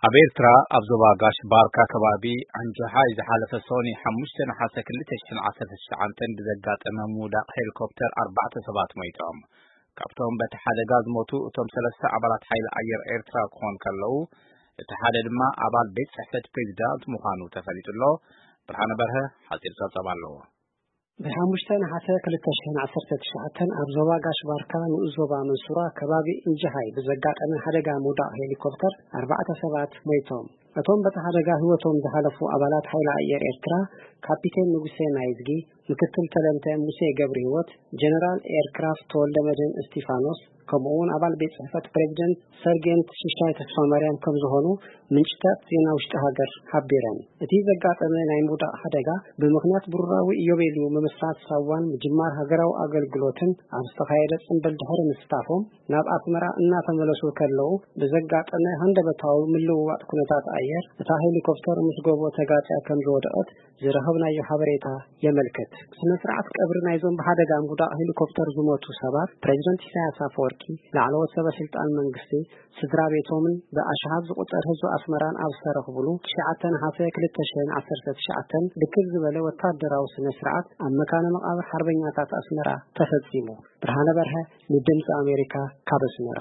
ኣብ ኤርትራ ኣብ ዞባ ጋሽ ባርካ ከባቢ ኣንጆሃይ ዝሓለፈ ሰኒ ሓሙሽተ ነሓሰ ክልተ ሽሕን ዓሰርተ ትሽዓተን ብዘጋጠመ ምውዳቕ ሄሊኮፕተር ኣርባዕተ ሰባት ሞይቶም። ካብቶም በቲ ሓደጋ ዝሞቱ እቶም ሰለስተ ኣባላት ሓይሊ ኣየር ኤርትራ ክኾኑ ከለዉ፣ እቲ ሓደ ድማ ኣባል ቤት ጽሕፈት ፕሬዚዳንት ምዃኑ ተፈሊጡ ኣሎ። ብርሃነ በርሀ ሓጺር ጸብጻብ ኣለዎ። ብሓሙሽተ ነሓሰ ክልተ ሽሕን ዓሰርተ ትሽዓተን ኣብ ዞባ ጋሽ ባርካ ንኡስ ዞባ መንሱራ ከባቢ እንጅሃይ ብዘጋጠመ ሓደጋ ምውዳቕ ሄሊኮፕተር ኣርባዕተ ሰባት ሞይቶም። እቶም በቲ ሓደጋ ህይወቶም ዝሓለፉ ኣባላት ሓይሊ ኣየር ኤርትራ ካፒቴን ንጉሴ ናይዝጊ፣ ምክትል ተለንተ ሙሴ ገብረ ህይወት፣ ጀነራል ኤርክራፍት ተወልደ መድህን እስቲፋኖስ፣ ከምኡ እውን ኣባል ቤት ጽሕፈት ፕሬዚደንት ሰርጌንት ሽሻይ ተስፋ ማርያም ከም ዝኾኑ ምንጭታት ዜና ውሽጢ ሃገር ሓቢረን። እቲ ዘጋጠመ ናይ ምውዳቕ ሓደጋ ብምኽንያት ብሩራዊ ኢዮቤልዩ ምምስራት ሳዋን ምጅማር ሃገራዊ ኣገልግሎትን ኣብ ዝተኻየደ ጽምብል ድሕሪ ምስታፎም፣ ናብ ኣስመራ እናተመለሱ ከለዉ ብዘጋጠመ ሃንደበታዊ ምልውዋጥ ኩነታት ኣየር፣ እታ ሄሊኮፕተር ምስ ጎቦ ተጋጭያ ከም ዝወደቐት ዝረኸብናዮ ሓበሬታ የመልክት። ስነ ስርዓት ቀብሪ ናይዞም ብሓደጋ ምውዳቕ ሄሊኮፕተር ዝሞቱ ሰባት ፕሬዚደንት ኢሳያስ ኣፈወርቂ፣ ላዕለዎት ሰበ ስልጣን መንግስቲ፣ ስድራ ቤቶምን ብኣሽሓት ዝቑጸር ህዝቢ ኣስመራን ኣብ ዝተረኽብሉ ትሽዓተ ነሓሰ ክልተ ሽሕን ዓሰርተ ትሽዓተን ድክል ዝበለ ወታደራዊ ስነ ስርዓት ኣብ መካነ መቓብር ሓርበኛታት ኣስመራ ተፈጺሙ። ብርሃነ በርሀ ንድምፂ ኣሜሪካ ካብ ኣስመራ።